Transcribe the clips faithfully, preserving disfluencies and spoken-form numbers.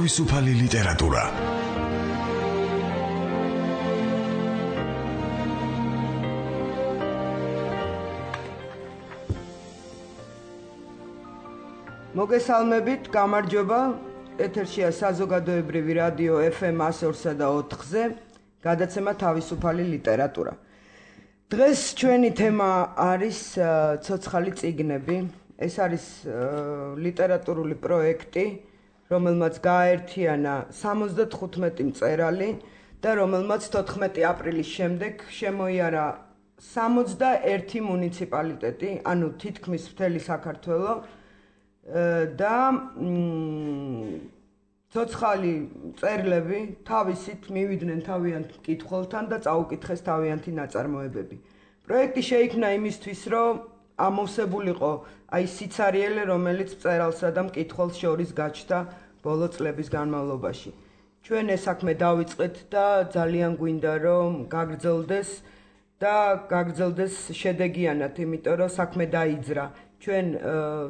თავისუფალი ლიტერატურა. მოგესალმებით, გამარჯობა. ეთერშია საზოგადოებრივი რადიო ეფ ემ one oh four და ოთხზე, გადაცემა თავისუფალი ლიტერატურა. დღეს ჩვენი თემა არის ცოცხალი წიგნები. ეს არის ლიტერატურული პროექტი, რომელმაც გააერთიანა სამოცდათხუთმეტი მწერალი და რომელმაც თოთხმეტი აპრილის შემდეგ შემოიარა სამოცდაერთი მუნიციპალიტეტი, ანუ თითქმის მთელი საქართველო და ცოცხალი მწერლები თავისით მივიდნენ თავიანთ მკითხველთან და წაუკითხეს თავიანთი ნაწარმოებები. პროექტი შეიქმნა იმისთვის, რომ ამოვსებულიყო აი სიცარიელე, რომელიც მწერალსა და მკითხველს შორის გაჩნდა ბოლო წლების განმავლობაში. ჩვენ ეს საქმე დავიწყეთ და ძალიან გვინდა, რომ გაგრძელდეს და გაგრძელდეს შედეგიანად, იმიტომ რომ საქმე დაიძრა. ჩვენ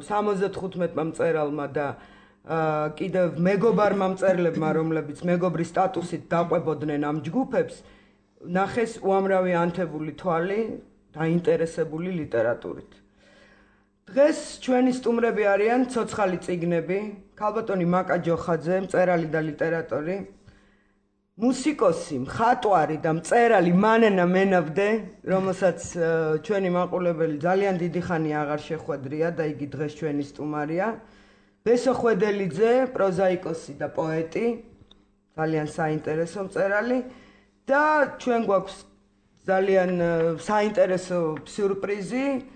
სამოცდათხუთმეტმა მწერალმა და კიდევ მეგობარმა მწერლებმა, რომლებიც მეგობრის სტატუსით დაყვებოდნენ ამ ჯგუფებს, ნახეს უამრავი ანთებული თვალი დაინტერესებული ლიტერატურით. დღეს ჩვენი სტუმრები არიან ცოცხალი წიგნები, ქალბატონი მაკა ჯოხაძე, მწერალი და ლიტერატორი, მუსიკოსი, მხატვარი და მწერალი მანენა მენაბდე, რომელსაც ჩვენი მაყურებელი ძალიან დიდი ხანი აღარ შეხვედრია და იგი დღეს ჩვენი სტუმარია, ბესო ხვედელიძე, პროზაიკოსი და პოეტი, ძალიან საინტერესო მწერალი და ჩვენ გვაქვს ძალიან საინტერესო სიურპრიზი,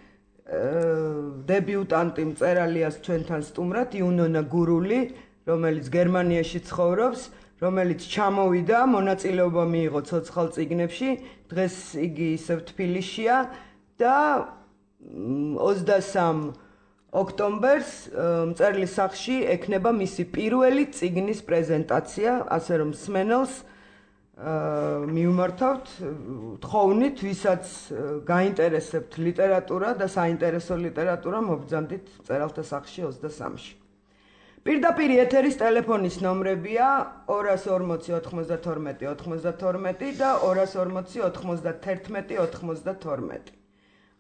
დებიუტანტი მწერალიას ჩვენთან სტუმრად, იუნონა გურული, რომელიც გერმანიაში ცხოვრობს, რომელიც ჩამოვიდა, მონაწილეობა მიიღო ცოცხალ წიგნებში, დღეს იგი ისევ თბილისშია და ოცდასამ ოქტომბერს მწერლის სახლში ექნება მისი პირველი წიგნის პრეზენტაცია, ასე რომ მსმენელს მიუმართავთ თხოვნით, ვისაც გაინტერესებთ ლიტერატურა და საინტერესო ლიტერატურა, მობრძანდით მწერალთა სახლში ოცდასამში. პირდაპირ ეთერის ტელეფონის ნომრებია ორას ორმოცი ოთხმოცდათორმეტი ოთხმოცდათორმეტი და ორას ორმოცი ოთხმოცდათერთმეტი ოთხმოცდათორმეტი.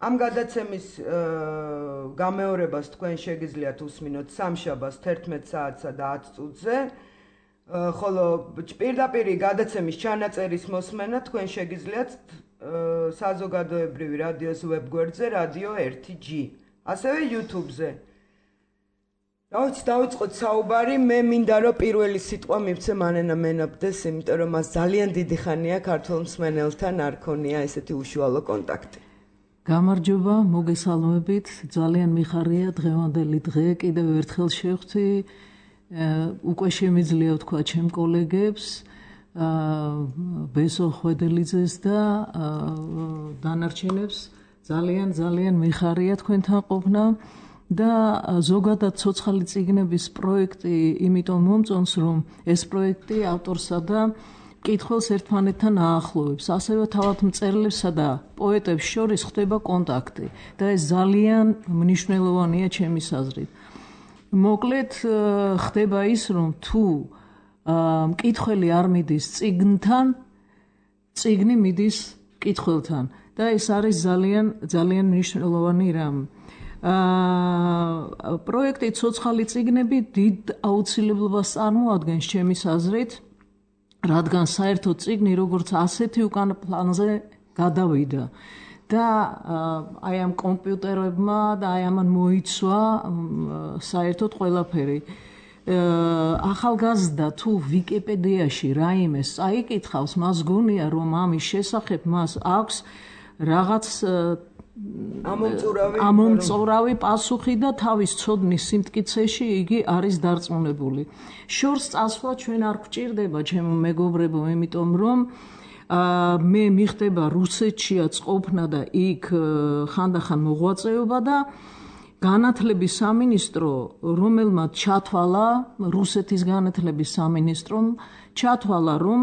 ამ გადაცემის გამეორებას თქვენ შეგიძლიათ უსმინოთ სამშაბათს თერთმეტ საათსა და ათ წუთზე, ხოლო პირდაპირი გადაცემის ჩანაწერის მოსმენა თქვენ შეგიძლიათ საზოგადოებრივი რადიოს ვებგვერდზე რადიო ერთი ჯი, ასევე YouTube-ზე. რა ვიცი, დავიწყოთ საუბარი, მე მინდა რომ პირველი სიტყვა მივცე მანენა მენაბდეს, იმიტომ რომ მას ძალიან დიდი ხანია ქართველ მსმენელთან არ ქონია ესეთი უშუალო კონტაქტი. გამარჯობა, მოგესალმებით, ძალიან მიხარია დღევანდელი დღე, კიდევ ერთხელ შევხვდი, უკვე შემიძლია ვთქვა ჩემ კოლეგებს, ბესო ხვედელიძეს და დანარჩენებს, ძალიან ძალიან მიხარია თქვენთან ყოფნა. და ზოგადად ცოცხალი წიგნების პროექტი იმიტომ მომწონს, რომ ეს პროექტი ავტორსა და მკითხველს ერთმანეთთან აახლოვებს, ასევე თავად მწერლებსა და პოეტებს შორის ხდება კონტაქტი და ეს ძალიან მნიშვნელოვანია ჩემის აზრით. მოკლედ ხდება ის, რომ თუ მკითხველი არ მიდის წიგნთან, წიგნი მიდის მკითხველთან და ეს არის ძალიან ძალიან მნიშვნელოვანი რამ. პროექტი ცოცხალი წიგნები დიდ აუცილებლობას წარმოადგენს ჩემის აზრით, რადგან საერთო წიგნი როგორც ასეთი უკან პლანზე გადავიდა და აი ამ კომპიუტერებმა და აი ამან მოიცვა საერთოდ ყველაფერი. ახალგაზრდა თუ ვიკიპედიაში რაიმეს წაიკითხავს, მას გონია, რომ ამის შესახებ მას აქვს რაღაც ამომწურავი პასუხი და თავის ცოდნის სიმტკიცეში იგი არის დარწმუნებული. შორს წასვლა ჩვენ არ გვჭირდება, ჩემო მეგობრებო, იმიტომ რომ მე მიხდება რუსეთშია წყობნა და იქ ხანდახან მოღვაწეობა და განათლების სამინისტრო, რომელმაც ჩათვალა, რუსეთის განათლების სამინისტრომ ჩათვალა, რომ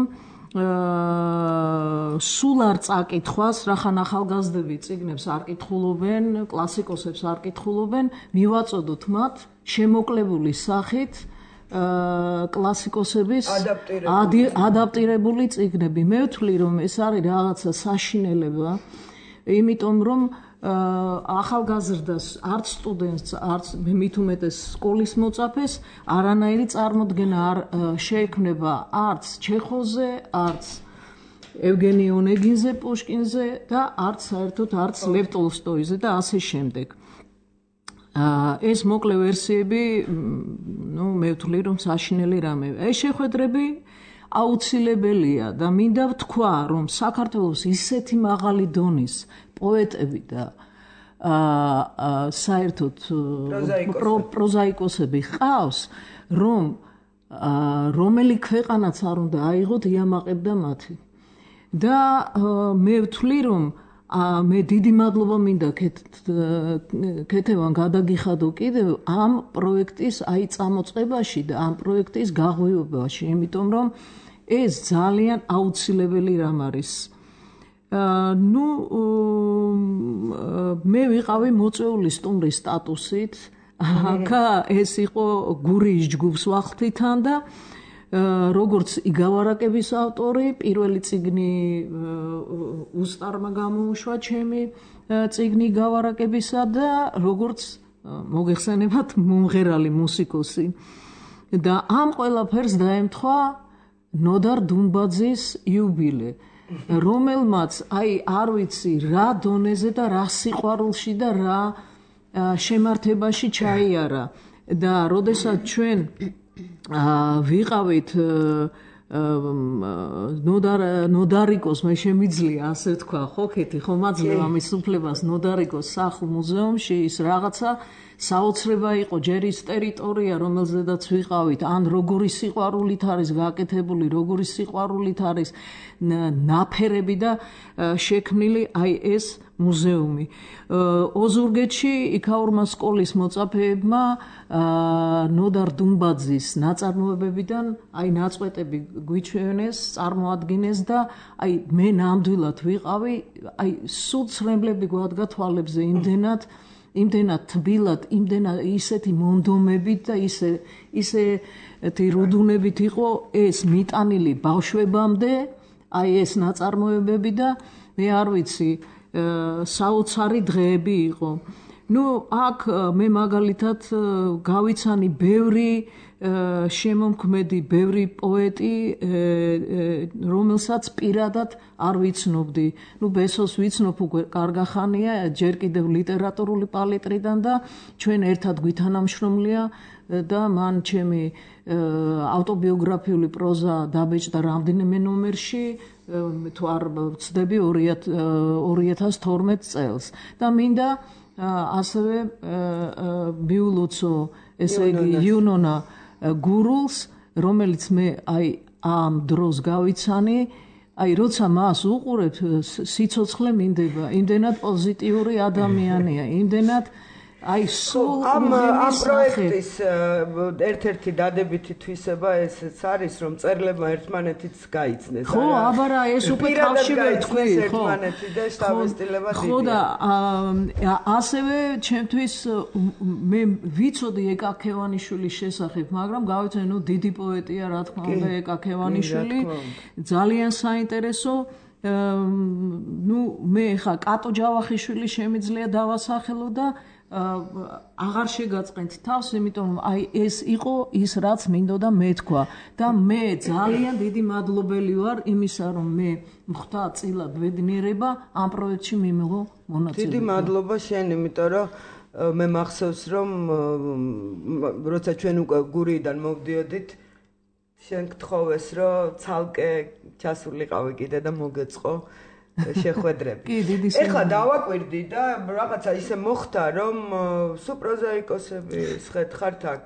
სულ არ წაკითხვას, რახან ახალგაზრდები წიგნებს არ კითხულობენ, კლასიკოსებს არ კითხულობენ, მივაწოდოთ მათ შემოკლებული სახით კლასიკოსების ადაპტირებული წიგნები. მე ვთვლი, რომ ეს არის რაღაცა საშინელება, იმიტომ რომ ახალგაზრდას, არც სტუდენტს, არც მით უმეტეს სკოლის მოწაფეს არანაირი წარმოდგენა არ შეექმნება არც ჩეხოვზე, არც ევგენი ონეგინზე, პუშკინზე და არც საერთოდ არც ლევ ტოლსტოიზე და ასე შემდეგ. ეს მოკლე ვერსიები, ну, მე ვთვლი, რომ საშინელი რამეა. ეს შეხვედრები აუცილებელია და მინდა ვთქვა, რომ საქართველოს ისეთი მაღალი დონის პოეტები და აა საერთოდ პროზაიკოსები ყავს, რომ რომელი ქვეყანაც არ უნდა აიღოთ იამაყებდა მათი. და მე ვთვლი, რომ მე დიდი მადლობა მინდა ქეთევან გადაგიხადო კიდევ ამ პროექტის აი წამოწყებაში და ამ პროექტის გაღვივებაში, იმიტომ რომ ეს ძალიან აუცილებელი რამ არის. ნუ მე ვიყავი მოწვეული სტუმრის სტატუსით, აქა ეს იყო გურიის ჯგუფს ვახთითან და როგორც იგავარაკების ავტორი, პირველი წიგნი უსტარმა გამოუშვა ჩემი წიგნი იგავარაკებისა და როგორც მოგეხსენებათ მომღერალი მუსიკოსი. და ამ ყველაფერს დაემთხვა ნოდარ დუმბაძის იუბილე, რომელმაც აი არ ვიცი რა დონეზე და რა სიყვარულში და რა შემართებაში ჩაიარა და როდესაც ჩვენ ვიყავით ნოდარ ნოდარიკოს მე შემიძლია ასე თქვა ხო ქეთი ხო მაძლევ ამის უფლებას ნოდარიკოს სახლ მუზეუმში ის რაღაცა საოცრება იყო ჯერ ის ტერიტორია რომელზედაც ვიყავით ან როგორი სიყვარულით არის გაკეთებული როგორი სიყვარულით არის ნაფერები და შექმნილი აი ეს მუზეუმი ოზურგეთში იქაურმა სკოლის მოწაფეებმა ნოდარ დუმბაძის ნაწარმოებებიდან აი ნაწყვეტები გვიჩვენეს წარმოადგინეს და აი მე ნამდვილად ვიყავი აი სულ ცრემლები გვადგა თვალებზე იმდენად იმდენად თბილად იმდენად ისეთი მონდომებით და ისე ისეთი რუდუნებით იყო ეს მიტანილი ბავშვებამდე აი ეს ნაწარმოებები და მე არ ვიცი საოცარი დღეები იყო. ნუ აქ მე მაგალითად გავიცანი ბევრი შემომქმედი, ბევრი პოეტი, რომელსაც პირადად არ ვიცნობდი. ნუ ბესოს ვიცნობ უკვე კარგახანია, ჯერ კიდევ ლიტერატურული პალიტრიდან და ჩვენ ერთად გვითანამშრომლია და მან ჩემი ავტობიოგრაფიული პროზა დაბეჭდა რამდენიმე ნომერში თუ არ ვცდები ორი ათას თორმეტ წელს და მინდა ასევე მიულოცო ესე იგი იუნონა გურულს რომელიც მე აი ამ დროს გავიცანი აი როცა მას უყურებ სიცოცხლე მინდება იმდენად პოზიტიური ადამიანია იმდენად აი სულ ამ ამ პროექტის ერთ-ერთი დადებითი თვისება ესეც არის რომ წერლებმა ერთმანეთიც გაიცნეს ხო აბარა ეს უკვე თავშივე თქვი ხო ერთმანეთი და სტაბილიზება დიდი ხო და ასევე ჩემთვის მე ვიცოდი ეკა ქევანიშვილის შესახებ მაგრამ გავიცანი ნუ დიდი პოეტია რა თქმა უნდა ეკა ქევანიშვილი ძალიან საინტერესო ნუ მე ხა კატო ჯავახიშვილი შემიძლია დავასახელო და აღარ შეგაწყენთ თავს, იმიტომ რომ აი ეს იყო ის რაც მინდოდა მეთქვა და მე ძალიან დიდი მადლობელი ვარ იმისა რომ მე მხთა წილად ვედნიერება ამ პროექტში მიმიღო მონაწილეობა. დიდი მადლობა შენ, იმიტომ რომ მე მახსოვს რომ როცა ჩვენ უკვე გურიიდან მოვდიოდით შენ გთხოვეს რომ ცალკე ჩასულიყავი კიდე და მოგეწყო შეხვედრები. ეხლა დავაკვირდი და რაღაცა ისე მოხდა, რომ სუპროზაიკოსები ხერხართ აქ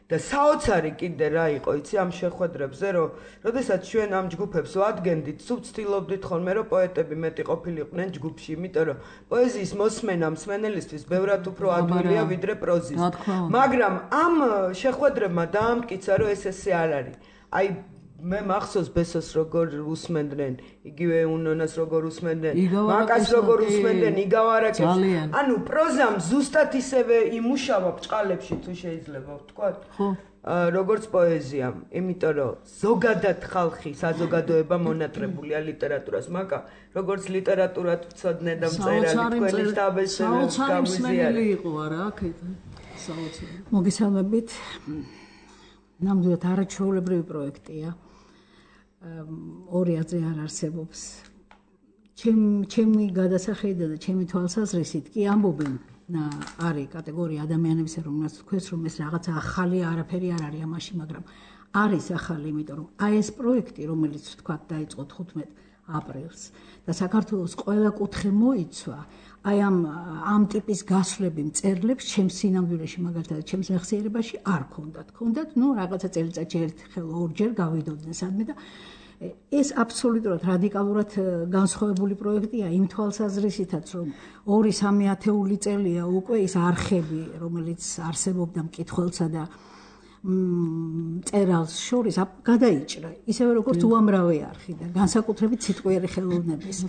და საოცარი კიდე რა იყო, იცი ამ შეხვედრებზე, რომ როდესაც ჩვენ ამ ჯგუფებს ვადგენდით, სულ ცდილობდით ხოლმე, რომ პოეტები მეტი ყოფილიყვნენ ჯგუფში, იმიტომ რომ პოეზიის მოსმენა მსმენელისთვის ბევრად უფრო ადვილია ვიდრე პროზის. მაგრამ ამ შეხვედრებმა დაამტკიცა, რომ ეს ესე არ არის. აი მე მახსოვს ბესოს როგორ უსმენდნენ, იგივე უნონას როგორ usmenden, მაკას როგორ usmenden, იგავარაკებს. ანუ პროზამ ზუსტად ისევე იმუშავა ბჭყალებში თუ შეიძლება ვთქვათ. ხო. როგორც პოეზიამ, იმიტომ რომ ზოგადად ხალხი საზოგადოება მონატრებულია ლიტერატურას, მაკა როგორც ლიტერატურად ვწოდნე და მწერალი თქვენი შტაბესწრებს გამიზიარე იყო არა აქეთ საოცარი. მოგესალმებით. ნამდვილად არაჩვეულებრივი პროექტია. ორი აზრი არ არსებობს. ჩემი გადასახედა და ჩემი თვალსაზრისით კი ამბობენ არის კატეგორია ადამიანებისა, რომელსაც თქვენს რომ ეს რაღაცა ახალი არაფერი არ არის ამაში, მაგრამ არის ახალი, იმიტომ რომ აი ეს პროექტი, რომელიც ვთქვათ დაიწყო თხუთმეტ აპრილს და საქართველოს ყველა კუთხე მოიცვა, აი ამ ამ ტიპის გასვლები მწერლებს ჩემს სინამდვილეში მაგალითად ჩემს მეხსიერებაში არ ქონდათ. ქონდათ, ნუ რაღაცა წელიწადში ერთხელ ორჯერ გავიდოდნენ სადმე და ეს აბსოლუტურად რადიკალურად განსხვავებული პროექტია იმ თვალსაზრისითაც, რომ ორი სამი ათეული წელია უკვე ის არხები, რომელიც არსებობდა მკითხველსა და მწერალს შორის გადაიჭრა, ისევე როგორც უამრავი არხი და განსაკუთრებით სიტყვიერი ხელოვნების.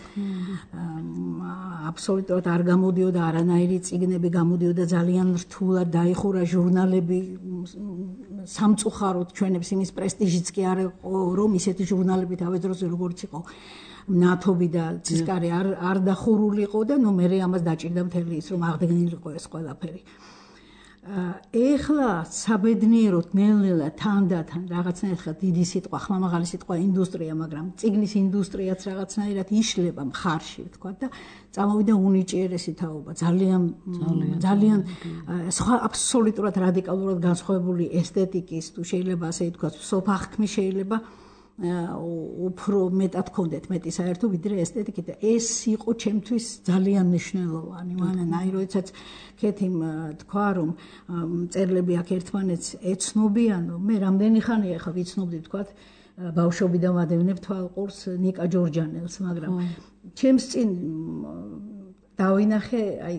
აბსოლუტურად არ გამოდიოდა არანაირი წიგნები, გამოდიოდა ძალიან რთულად, დაიხურა ჟურნალები, სამწუხაროდ ჩვენებს იმის პრესტიჟიც კი არ იყო, რომ ისეთი ჟურნალები თავის დროზე როგორც იყო ნათობი და ცისკარი არ არ დახურულიყო და ნუ მე ამას დაჭირდა მთელი ის, რომ აღდგენილიყო ეს ყველაფერი. ეხლა საბედნიეროდ ნელ-ნელა თანდათან რაღაცნაირად ხა დიდი სიტყვა, ხმამაღალი სიტყვა ინდუსტრია, მაგრამ წიგნის ინდუსტრიაც რაღაცნაირად იშლება მხარში, ვთქვა და წამოვიდა უნიჭიერესი თაობა, ძალიან ძალიან სხვა აბსოლუტურად რადიკალურად განსხვავებული ესთეტიკის, თუ შეიძლება ასე ითქვას, სოფახქმი შეიძლება უფრო მეტად ქონდეთ მეტი საერთო ვიდრე ესთეტიკი და ეს იყო ჩემთვის ძალიან მნიშვნელოვანი. მანანაი როდესაც ქეთიმ თქვა რომ მწერლები აქ ერთმანეთს ეცნობიანო, მე რამდენი ხანია ხა ვიცნობდი თქვა ბავშვობიდან ვადევნებ თვალყურს ნიკა ჯორჯანელს, მაგრამ ჩემს წინ დავინახე აი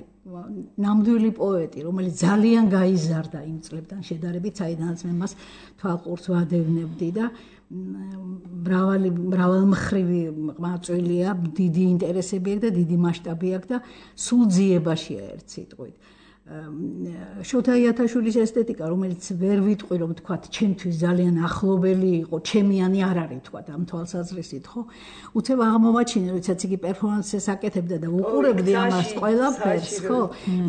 ნამდვილი პოეტი, რომელიც ძალიან გაიზარდა იმ წლებთან შედარებით, საიდანაც მე მას თვალყურს ვადევნებდი და მრავალი მრავალმხრივი ყმაწვილია, დიდი ინტერესები აქვს და დიდი მასშტაბი აქვს და სულ ძიებაშია ერთ სიტყვით. შოთა იათაშვილის ესთეტიკა, რომელიც ვერ ვიტყვი რომ თქვათ ჩემთვის ძალიან ახლობელი იყო, ჩემიანი არ არის თქვათ ამ თვალსაზრისით, ხო? უცებ აღმოვაჩინე, როდესაც იგი პერფორმანსს აკეთებდა და უყურებდი ამას ყველაფერს, ხო?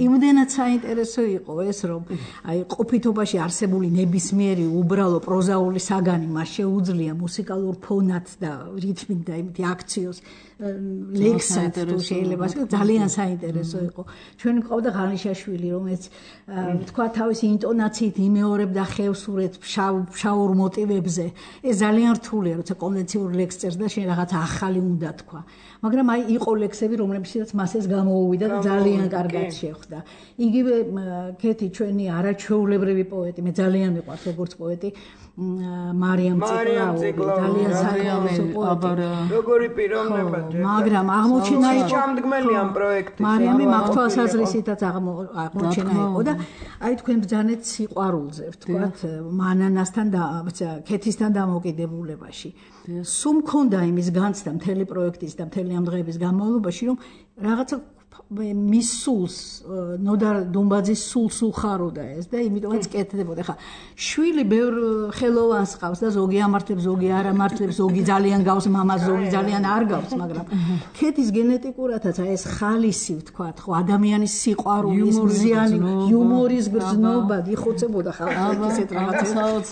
იმდენად საინტერესო იყო ეს, რომ აი ყოფითობაში არსებული ნებისმიერი უბრალო პროზაული საგანი მას შეუძლია მუსიკალურ ფონად და რითმით და იმითი აქციოს ლექსად თუ შეიძლება ძალიან საინტერესო იყო. ჩვენ ყავდა ღანიშაშვილი, რომელიც თქვა თავისი ინტონაციით იმეორებდა ხევსურეთს შაურ მოტივებზე. ეს ძალიან რთულია, როცა კონვენციურ ლექსს წერს და შენ რაღაც ახალი უნდა თქვა. მაგრამ აი იყო ლექსები, რომლებშიც მას ეს გამოუვიდა და ძალიან კარგად შეხვდა. იგივე ქეთი ჩვენი არაჩვეულებრივი პოეტი, მე ძალიან მიყვარს როგორც პოეტი, მარიამ ციკლაური, ძალიან საინტერესო პოეტი. როგორი პიროვნება მაგრამ აღმოჩენა იყო ჩამდგმელი ამ პროექტის. მარიამი მაგთვალსაზრისითაც აღმოჩენა იყო და აი თქვენ ბრძანეთ სიყვარულზე, ვთქვათ, მანანასთან და ქეთისთან დამოკიდებულებაში. სულ მქონდა იმის განცდა მთელი პროექტის და მთელი ამ დღეების განმავლობაში, რომ რაღაცა მის სულს, ნოდარ დუმბაძის სულს უხაროდა ეს და იმიტომაც კეთდებოდა. ხა შვილი ბევრ ხელოვანს ყავს და ზოგი ამართლებს, ზოგი არ ამართლებს, ზოგი ძალიან გავს მამას, ზოგი ძალიან არ გავს, მაგრამ ქეთის გენეტიკურადაც აი ეს ხალისი ვთქვათ, ხო, ადამიანის სიყვარულის მზიანი იუმორის გრძნობა იხოცებოდა ხალხი ისეთ რაღაცებს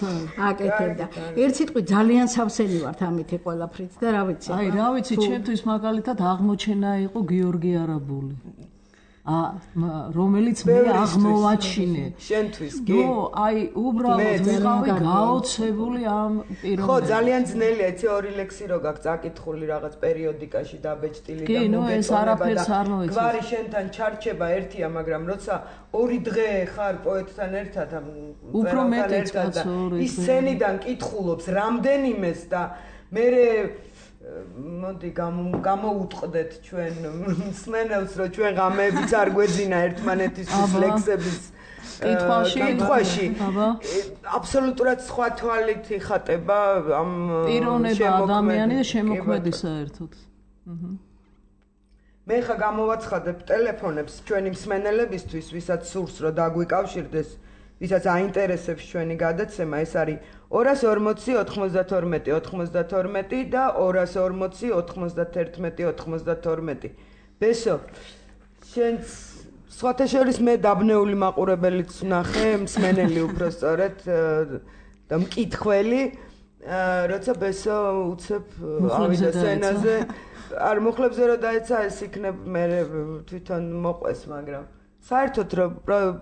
აკეთებდა. ერთ სიტყვით ძალიან სავსენი ვართ ამითი ყველაფრით და რა ვიცი. აი რა ვიცი, ჩემთვის მაგალითად აღმოჩენა იყო გიორგი არაბული. ა რომელიც მე აღმოვაჩინე შენთვის კი ნო აი უბრალოდ ვიყავი გაოცებული ამ პიროვნებაზე. ხო, ძალიან ძნელია, იცი ორი ლექსი რო გაქვს აკითხული რაღაც პერიოდიკაში დაბეჭდილი და მოგეწონება და გვარი შენთან ჩარჩება ერთია, მაგრამ როცა ორი დღე ხარ პოეტთან ერთად ამ უფრო მეტიც კაცო, ის სცენიდან კითხულობს რამდენიმეს და მე მოდი გამოუტყდეთ ჩვენ მსმენელს, რომ ჩვენ ღამეებიც არ გვეძინა ერთმანეთისთვის ლექსების კითხვაში კითხვაში აბსოლუტურად სხვა თვალით იხატება ამ პიროვნება ადამიანი და შემოქმედი საერთოდ. მე ხა გამოვაცხადებ ტელეფონებს ჩვენი მსმენელებისთვის, ვისაც სურს რომ დაგვიკავშირდეს, ვისაც აინტერესებს ჩვენი გადაცემა, ეს არის ორას ორმოცი ოთხმოცდათორმეტი ოთხმოცდათორმეტი და ორას ორმოცი ოთხმოცდათერთმეტი ოთხმოცდათორმეტი. ბესო, შენც სხვათა შორის მე დაბნეული მაყურებელიც ვნახე, მსმენელი უბრალოდ და მკითხველი, როცა ბესო უცებ ავიდა სცენაზე, არ მუხლებზე რომ დაეცა ეს იქნებ მე თვითონ მოყვეს, მაგრამ საერთოდ რომ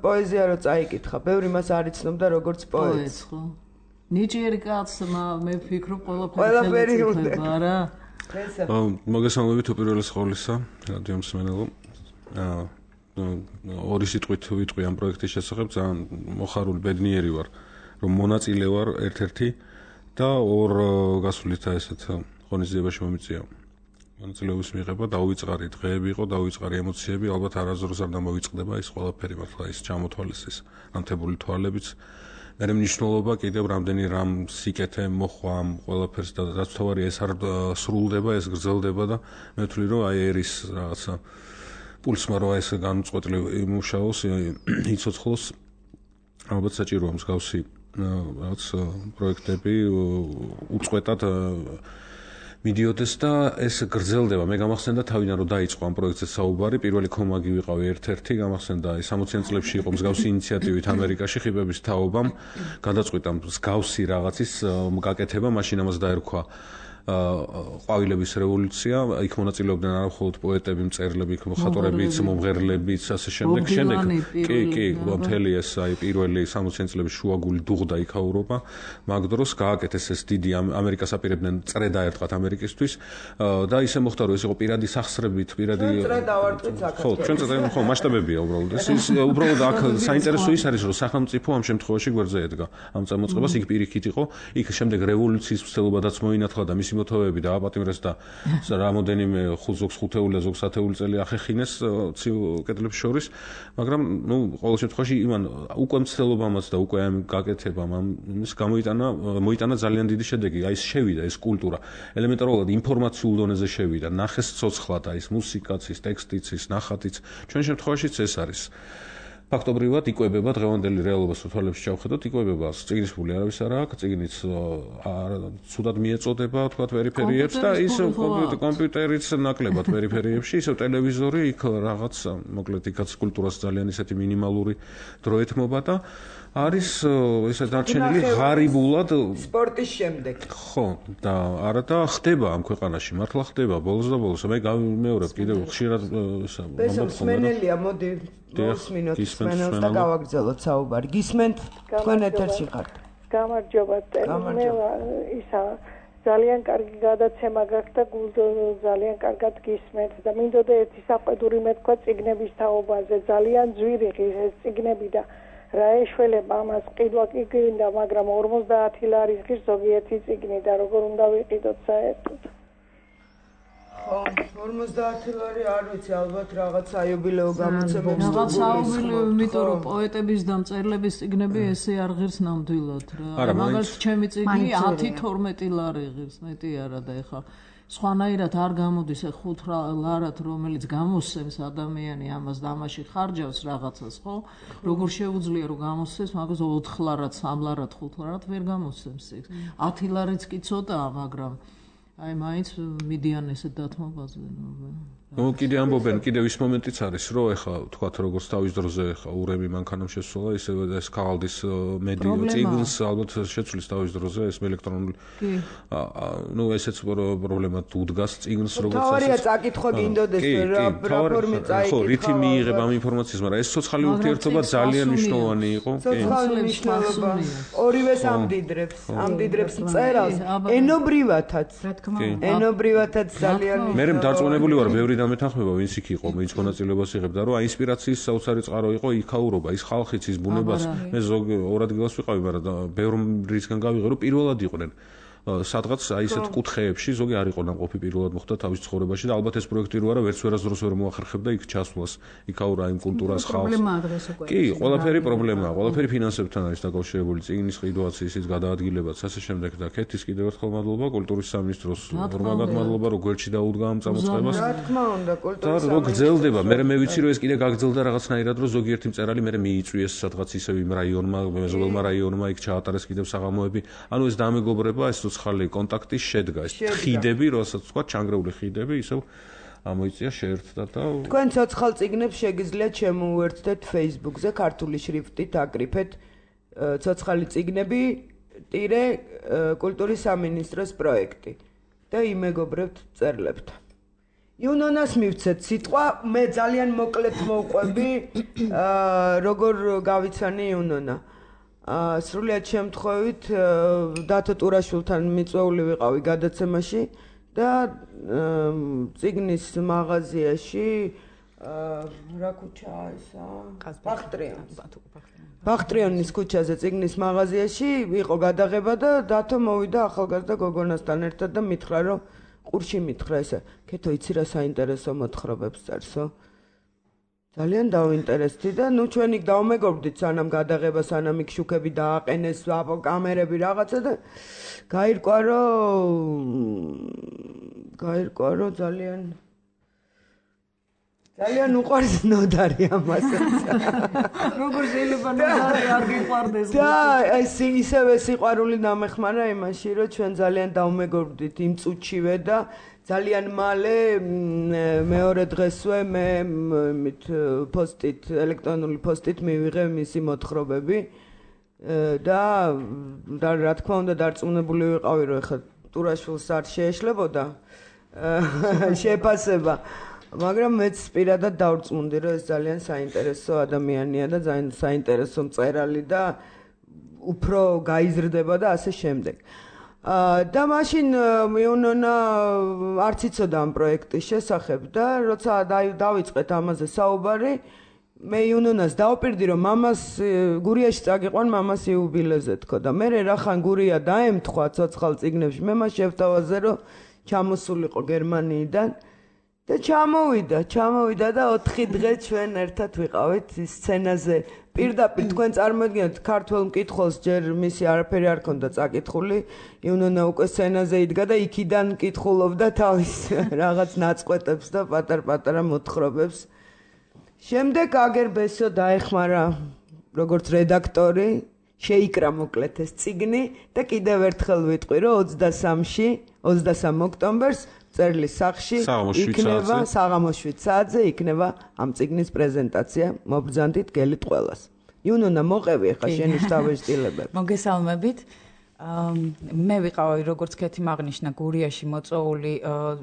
პოეზია რო წაიკითხა, ბევრი მას არ იცნობდა როგორც პოეტს. ხო. ნიჭიერი კაცმა მე ვფიქრობ ყველაფერი იწება რა. მოგესალმებით უპირველეს ყოვლისა, რადიო მსმენელო. აა ორი სიტყვით ვიტყვი ამ პროექტის შესახებ, ძალიან მოხარული ბედნიერი ვარ, რომ მონაწილე ვარ ერთ-ერთი და ორ გასuliთა ესეთ ღონისძიებაში მომიწია. მონაწილეობის მიღება დაუვიწყარი დღეები იყო, დაუვიწყარი ემოციები, ალბათ არასდროს არ დამოვიწყდება ის ყველაფერი მართლა ის ჩამოთვალეს ის ანთებული თვალებიც. მე მნიშვნელობა კიდევ რამდენი რამ სიკეთე მოხვა ამ ყველაფერს და რაც თავარი ეს არ სრულდება, ეს გრძელდება და მე ვთვლი რომ აი ერის რაღაცა პულსმა რო ეს განუწყვეტლივ იმუშაოს, იცოცხლოს, ალბათ საჭიროა მსგავსი რაღაც პროექტები უწყვეტად მიდიოდეს და ეს გრძელდება. მე გამახსენდა თავიდან რომ დაიწყო ამ პროექტზე საუბარი, პირველი კომაგი ვიყავი ერთ-ერთი, გამახსენდა სამოციან წლებში იყო მსგავსი ინიციატივით ამერიკაში ხიბების თაობამ გადაწყვიტა მსგავსი რაღაცის გაკეთება, მაშინ ამას დაერქვა ყვავილების რევოლუცია, იქ მონაწილეობდნენ არა მხოლოდ პოეტები, მწერლები, მხატვრებიც, მომღერლებიც, ასე შემდეგ. შემდეგ კი, კი, მთელი ეს აი პირველი სამოციან წლების შუაგული დუღდა იქაურობა. მაგ დროს გააკეთეს ეს დიდი ამერიკას აპირებდნენ წრედა ერთხათ ამერიკისთვის და ისე მოხდა რომ ეს იყო პირადი სახსრებით, პირადი ხო, ჩვენ წრედა ხო, მასშტაბებია უბრალოდ. ეს უბრალოდ აქ საინტერესო ის არის რომ სახელმწიფო ამ შემთხვევაში გვერდზე ედგა. ამ წამოწყებას იქ პირიქით იყო, იქ შემდეგ რევოლუციის მცდელობადაც მოინათლა და მისი მოთხოვები და აპატიმრეს და რამოდენიმე ზოგს ხუთეული და ზოგს ათეული წელი ახეხინეს ცივ კედლებს შორის, მაგრამ ნუ ყოველ შემთხვევაში იმან უკვე მცდელობამაც და უკვე ამ გაკეთებამ ამის გამოიტანა მოიტანა ძალიან დიდი შედეგი. აი ეს შევიდა ეს კულტურა. ელემენტარულად ინფორმაციულ დონეზე შევიდა. ნახეს ცოცხლად აი ეს მუსიკაც, ის ტექსტიც, ის ნახატიც. ჩვენ შემთხვევაშიც ეს არის. ფაქტობრივად იკვებება დღევანდელი რეალობას თუ თვალებში ჩავხედოთ, იკვებება წიგნის ფული არავის არ აქვს, წიგნიც ცუდად მიეწოდება, თქვა პერიფერიებს და ის კომპიუტერიც ნაკლებად პერიფერიებში, ისევ ტელევიზორი, იქ რაღაც, მოკლედ იქაც კულტურას ძალიან ისეთი მინიმალური დრო ეთმობა და არის ესე დარჩენილი ღარიბულად სპორტის შემდეგ. ხო, და არა და ხდება ამ ქვეყანაში, მართლა ხდება ბოლოს და ბოლოს. მე გამიმეორებ კიდევ ხშირად მსმენელია, მოდი მოსმინოთ მსმენელს და გავაგრძელოთ საუბარი. გისმენთ, თქვენ ეთერში ხართ. გამარჯობა, მე ისა ძალიან კარგი გადაცემა გაქვს და ძალიან კარგად გისმენთ და მინდოდა ერთი საყვედური მეთქვა წიგნების თაობაზე. ძალიან ძვირი ეს წიგნები და რა ეშველება ამას ყიდვა კი გინდა, მაგრამ ორმოცდაათი ლარის ღირს ზოგიერთი წიგნი და როგორ უნდა ვიყიდოთ საერთოდ. ხო, ორმოცდაათი ლარი არ ვიცი, ალბათ რაღაც საიუბილეო გამოცემებს რაღაც საიუბილეო, იმიტომ რომ პოეტების და მწერლების წიგნები ესე არ ღირს ნამდვილად რა. მაგალითად ჩემი წიგნი ათი თორმეტი ლარი ღირს, მეტი არა და ეხა სხვანაირად არ გამოდის ხუთ ლარად, რომელიც გამოსცემს ადამიანი ამას და ამაში ხარჯავს რაღაცას, ხო? როგორ შეუძლია რომ გამოსცემს, მაგას ოთხ ლარად, სამ ლარად, ხუთ ლარად ვერ გამოსცემს იქ. ათი ლარიც კი ცოტაა, მაგრამ აი მაინც მიდიან ესე დათმობაზე. ნუ კიდე ამბობენ, კიდევ ის მომენტიც არის, რომ ეხა თქვათ როგორც თავის დროზე ეხა ურემი მანქანამ შესვლა, ისე ეს ქაღალდის მედიო წიგნს ალბათ შეცვლის თავის დროზე ეს ელექტრონული. ნუ ესეც პრობლემა თუ დგას წიგნს როგორც ასე. თავარია წაკითხვა გინდოდეს რა ფორმით წაიკითხა. ხო, რითი მიიღება ამ ინფორმაციას, მაგრამ ეს ცოცხალი ურთიერთობა ძალიან მნიშვნელოვანი იყო. ცოცხალი მნიშვნელობა ორივეს ამდიდრებს, ამდიდრებს მწერალს ენობრივათაც. რა თქმა უნდა. ენობრივათაც ძალიან. მე დარწმუნებული ვარ, ბევრი დამეთანხმება ვინც იქ იყო, ვინც მონაწილეობას იღებდა, რომ აი ინსპირაციის საოცარი წყარო იყო იქაურობა, ის ხალხიც, ის ბუნებას. მე ზოგ ორ ადგილას ვიყავი, მაგრამ ბევრ რისგან გავიღე, რომ პირველად იყვნენ. სადღაც აი ესეთ კუთხეებში ზოგი არ იყო ნამყოფი პირველად მოხდა თავის ცხოვრებაში და ალბათ ეს პროექტი რო არა ვერც ვერასდროს ვერ მოახერხებდა იქ ჩასვლას იქაურა იმ კულტურას ხალხს პრობლემაა დღეს უკვე კი ყველაფერი პრობლემაა ყველაფერი ფინანსებთან არის დაკავშირებული წიგნის ყიდვაც ისიც გადაადგილებაც ასე შემდეგ და ქეთის კიდევ ერთხელ მადლობა კულტურის სამინისტროს ორმაგად მადლობა რომ გვერდში დაუდგა ამ წამოწყებას რა თქმა უნდა კულტურის და რო გრძელდება მე მე ვიცი რომ ეს კიდე გაგრძელდა რაღაცნაირად რომ ზოგიერთი მწერალი მე მიიწვიეს სადღაც ისევ იმ რაიონმა მეზობელმა რაიონმა იქ ჩაატარეს კიდევ საღამოები ანუ ეს დამეგობრება ეს ცოცხალი კონტაქტი შედგა ეს ხიდები როსაც თქვა ჩანგრეული ხიდები ისევ ამოიწია შეერთდა და თქვენ ცოცხალ წიგნებს შეგიძლიათ შემოუერთდეთ Facebook-ზე ქართული შრიფტით აკრიფეთ ცოცხალი წიგნები ტირე კულტურის სამინისტროს პროექტი და იმეგობრებთ წერლებთან იუნონას მივცეთ სიტყვა მე ძალიან მოკლედ მოვყვები როგორ გავიცანი იუნონა სრულიად შემთხვევით დათო ტურაშვილთან მიწვეული ვიყავი გადაცემაში და წიგნის მაღაზიაში რა ქუჩაა ისა? ბახტრიონის. ბახტრიონის ქუჩაზე წიგნის მაღაზიაში იყო გადაღება და დათო მოვიდა ახალგაზრდა გოგონასთან ერთად და მითხრა რომ ყურში მითხრა ესე ქეთო იცი რა საინტერესო მოთხრობებს წერსო? ძალიან დავინტერესდი და ნუ ჩვენ იქ დავმეგობრდით სანამ გადაღება სანამ იქ შუქები დააყენეს კამერები რაღაცა და გაირკვა რომ გაირკვა რომ ძალიან ძალიან უყვარს ნოდარი ამასაც როგორ შეიძლება ნოდარი არ გიყვარდეს და ეს ისევე სიყვარული დამეხმარა იმაში რომ ჩვენ ძალიან დავმეგობრდით იმ წუთშივე და ძალიან მალე მეორე დღესვე მე მით პოსტით ელექტრონული პოსტით მივიღე მისი მოთხრობები და და რა თქმა უნდა დარწმუნებული ვიყავი რომ ეხლა ტურაშვილს არ შეეშლებოდა შეფასება მაგრამ მეც პირადად დავწმუნდი რომ ეს ძალიან საინტერესო ადამიანია და ძალიან საინტერესო მწერალი და უფრო გაიზრდება და ასე შემდეგ და მაშინ მეუნონა არც იცოდა ამ პროექტის შესახებ და როცა დავიწყეთ ამაზე საუბარი მე იუნონას დავპირდი რომ მამას გურიაში წაგიყვან მამას იუბილეზე თქო და მე რახან გურია დაემთხვა ცოცხალ წიგნებში მე მას შევთავაზე რომ ჩამოსულიყო გერმანიიდან და ჩამოვიდა ჩამოვიდა და ოთხი დღე ჩვენ ერთად ვიყავით სცენაზე პირდაპირ თქვენ წარმოიდგინეთ ქართველ მკითხველს ჯერ მისი არაფერი არ ქონდა წაკითხული იუნონა უკვე სცენაზე იდგა და იქიდან მკითხულობდა თავის რაღაც ნაწყვეტებს და პატარ-პატარა მოთხრობებს შემდეგ აგერბესო დაეხმარა როგორც რედაქტორი შეიკრა მოკლედ ეს წიგნი და კიდევ ერთხელ ვიტყვი რომ ოცდასამში ოცდასამ ოქტომბერს წერლის სახში იქნება საღამოს შვიდ საათზე იქნება ამ წიგნის პრეზენტაცია მობრძანდით გელით ყველას იუნონა მოყევი ახლა შენი შტაბეშტილებები მოგესალმებით მე ვიყავი როგორც ქეთი მაგნიშნა გურიაში მოწვეული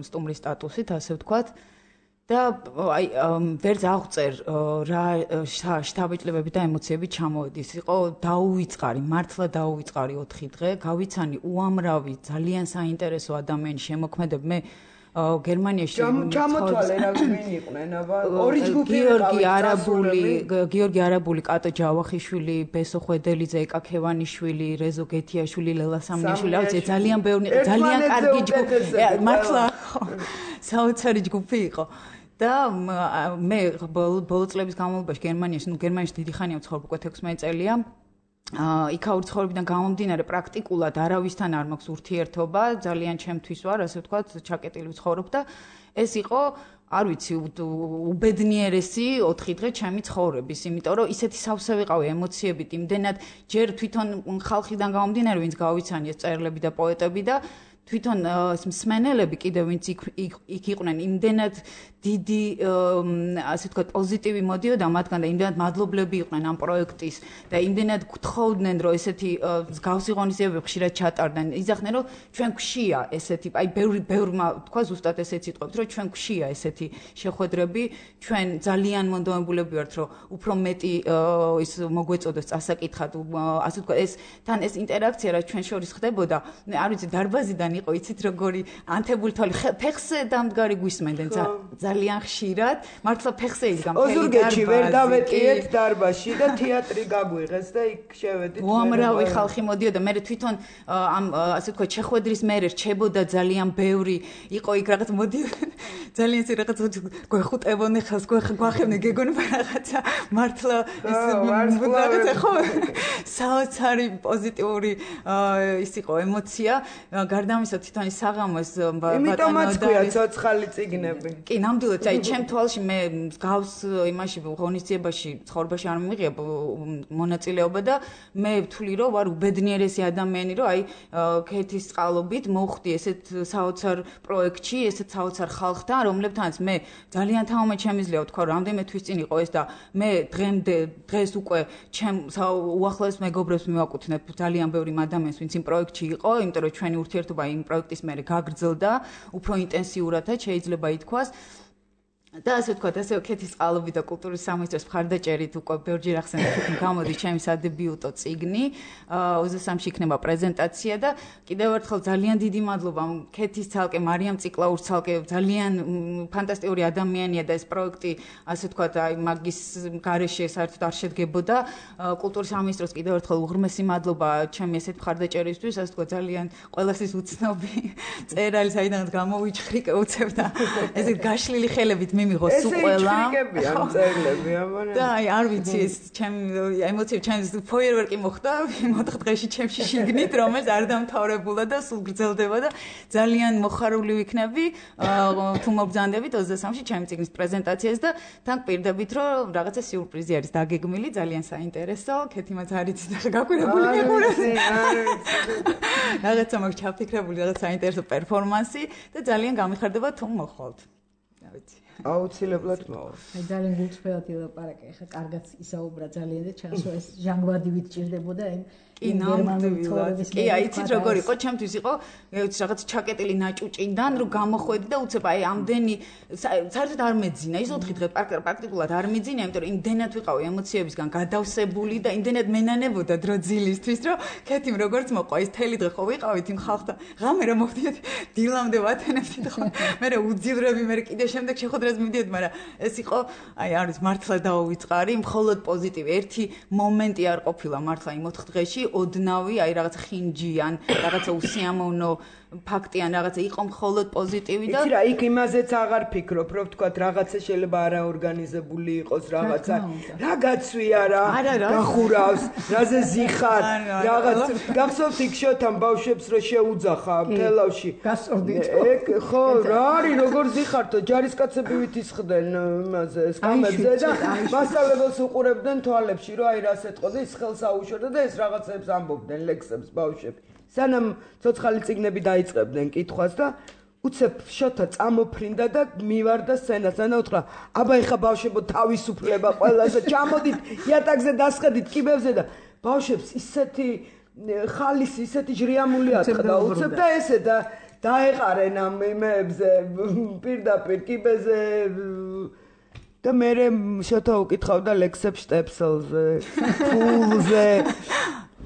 სტუმრის სტატუსით ასე ვთქვათ და აი ვერც აღწერ რა შთაბეჭდილებები და ემოციები ჩამოვედის იყო დაუვიწყარი მართლა დაუვიწყარი ოთხი დღე გავიცანი უამრავი ძალიან საინტერესო ადამიანის შემოქმედები მე გერმანიაში ჩამოთვალე რა ვინ იყვნენ აბა ორი ჯგუფი გიორგი არაბული გიორგი არაბული კატო ჯავახიშვილი ბესო ხვედელიძე ეკა ქევანიშვილი რეზო გეთიაშვილი ლელა სამნიაშვილი აუცე ძალიან ბევრი ძალიან კარგი ჯგუფი მართლა საოცარი ჯგუფი იყო და მე ბოლო წლების განმავლობაში გერმანიაში ნუ გერმანიაში დიდი ხანია ვცხოვრობ უკვე თექვსმეტ წელია იქაური ცხოვრებიდან გამომდინარე პრაქტიკულად არავისთან არ მაქვს ურთიერთობა ძალიან ჩემთვის ვარ ასე ვთქვათ ჩაკეტილი ვცხოვრობ და ეს იყო არ ვიცი უბედნიერესი ოთხი დღე ჩემი ცხოვრების იმიტომ რომ ისეთი სავსე ვიყავი ემოციებით იმდენად ჯერ თვითონ ხალხიდან გამომდინარე ვინც გავიცანი ეს წერლები და პოეტები და თვითონ მსმენელები კიდევ ვინც იქ იყვნენ იმდენად დიდი ასე ვთქვათ პოზიტივი მოდიოდა მათგან და იმდენად მადლობლები იყვნენ ამ პროექტის და იმდენად გთხოვდნენ რომ ესეთი მსგავსი ღონისძიებები ხშირად ჩატარდნენ იძახდნენ რომ ჩვენ გვშია ესეთი აი ბევრი ბევრმა თქვა ზუსტად ესეც იტყვით რომ ჩვენ გვშია ესეთი შეხვედრები ჩვენ ძალიან მონდომებულები ვართ რომ უფრო მეტი ის მოგვეწოდოს წასაკითხად ასე ვთქვათ ეს თან ეს ინტერაქცია რაც ჩვენ შორის ხდებოდა არ ვიცი დარბაზიდან იყო იცით როგორი ანთებული თვალი ფეხს დამდგარი გვისმენდნენ ძალიან ხშირად მართლა ფეხზე იდგა მთელი დარბაზი ვერ დავეტიეთ დარბაზში და თეატრი გაგვიღეს და იქ შევედით უამრავი ხალხი მოდიოდა მე თვითონ ამ ასე ვთქვათ შეხვედრის მერე რჩებოდა ძალიან ბევრი იყო იქ რაღაც მოდი ძალიან ისე რაღაც გვეხუტებოდნენ ხელს გვახებდნენ გეგონება რაღაცა მართლა ის რაღაცა ხო საოცარი პოზიტიური ის იყო ემოცია გარდა ამისა თვითონ ის საღამოს იმიტომაც ქვია ცოცხალი წიგნები კი ნამდვილად აი ჩემ თვალში მე გავს იმაში ღონისძიებაში ცხოვრებაში არ მიიღია მონაწილეობა და მე ვთვლი რომ ვარ უბედნიერესი ადამიანი რომ აი ქეთის წყალობით მოვხდი ესეთ საოცარ პროექტში ესეთ საოცარ ხალხთან რომლებთანაც მე ძალიან თამამად შემიძლია ვთქვა რომ რამდენიმე თვის წინ იყო ეს და მე დღემდე დღეს უკვე ჩემ უახლოეს მეგობრებს მივაკუთვნებ ძალიან ბევრი ადამიანს ვინც იმ პროექტში იყო იმიტომ რომ ჩვენი ურთიერთობა იმ პროექტის მერე გაგრძელდა უფრო ინტენსიურადაც შეიძლება ითქვას და ასე ვთქვათ, ასე ქეთის წყალობით და კულტურის სამინისტროს მხარდაჭერით უკვე ბევრჯერ ახსენეთ, რომ გამოდის ჩემი სადებიუტო წიგნი, ოცდასამში იქნება პრეზენტაცია და კიდევ ერთხელ ძალიან დიდი მადლობა ქეთის ცალკე მარიამ ციკლაურს ცალკე ძალიან ფანტასტიკური ადამიანია და ეს პროექტი, ასე ვთქვათ, აი მაგის გარეშე საერთოდ არ შედგებოდა. კულტურის სამინისტროს კიდევ ერთხელ უღრმესი მადლობა ჩემი ესეთ მხარდაჭერისთვის, ასე ვთქვათ, ძალიან ყველასის უცნობი წერალი საიდანაც გამოვიჩხრიკე უცებ და ესეთ გაშლილი ხელებით მიღოს უყველა. ესე იქრიკებია წერილები, ამან. და აი არ ვიცი ეს ჩემი ემოციები ჩემს ფოიერვერკი მოხდა მოთხ დღეში ჩემში შიგნით, რომელიც არ დამთავრებულა და სულ გრძელდება და ძალიან მოხარული ვიქნები თუ მობრძანდებით ოცდასამში ჩემი წიგნის პრეზენტაციას და თან პირდებით რომ რაღაცა სიურპრიზი არის დაგეგმილი, ძალიან საინტერესო, ქეთიმაც არ იცით ახლა გაკვირებული მიყურეთ. არ ვიცი. რაღაცა მაქვს ჩაფიქრებული რაღაც საინტერესო პერფორმანსი და ძალიან გამიხარდება თუ მოხვალთ. რა ვიცი. აუცილებლად მოვა. აი ძალიან გულწრფელად ილაპარაკე, ხა კარგად ისაუბრა ძალიან და ჩასვა ეს ჟანგბადი ვიჭირდებოდა იმ კი ნამდვილად. კი აი იცით როგორ იყო, ჩემთვის იყო რაღაც ჩაკეტილი ნაჭუჭიდან რომ გამოხვედი და უცებ აი ამდენი საერთოდ არ მეძინა, ის ოთხი დღე პრაქტიკულად არ მეძინა, იმიტომ რომ იმდენად ვიყავი ემოციებისგან გადავსებული და იმდენად მენანებოდა დრო ძილისთვის, რომ ქეთიმ როგორც მოყვა ის თელი დღე ხო ვიყავით იმ ხალხთან. ღამე რა მოვდიოდი დილამდე ვათენებდით ხო. მე უძივრები მე კიდე შემდეგ შეხვედრას მივდიოდი, მაგრამ ეს იყო აი არის მართლა დაუვიწყარი, მხოლოდ პოზიტივი. ერთი მომენტი არ ყოფილა მართლა იმ ოთხ დღეში ოდნავი, აი რაღაცა ხინჯიან, რაღაცა უსიამოვნო ფაქტიან, რაღაცა იყო მხოლოდ პოზიტივი და იცი რა, იქ იმაზეც აღარ ფიქრობ, რომ ვთქვათ, რაღაცა შეიძლება არაორგანიზებული იყოს, რაღაცა რა გაცვია რა, გახურავს, რაზე ზიხარ, რაღაც გახსოვთ იქ შოთან ბავშვებს რო შეუძახა თელავში. გასწორდით. ეგ ხო, რა არის, როგორ ზიხართო, ჯარისკაცები ვითისხდნენ იმაზე, სკამებზე და მასწავლებელს უყურებდნენ თვალებში, რომ აი რას ეთყოდა, ის ხელს აუშორდა და ეს რაღაცებს ამბობდნენ ლექსებს ბავშვები. სანამ ცოცხალი წიგნები დაიწყებდნენ კითხვას და უცებ შოთა წამოფრინდა და მივარდა სცენასთან და უთხრა აბა ეხა ბავშვებო თავისუფლება ყველასა ჩამოდით იატაკზე დასხედით კიბებზე და ბავშვებს ისეთი ხალისი ისეთი ჟრიამული ატყდა უცებ და ესე და დაეყარენ ამ იმებზე პირდაპირ კიბეზე და მე შოთა უკითხავდა ლექსებს შტეპსელზე ფულზე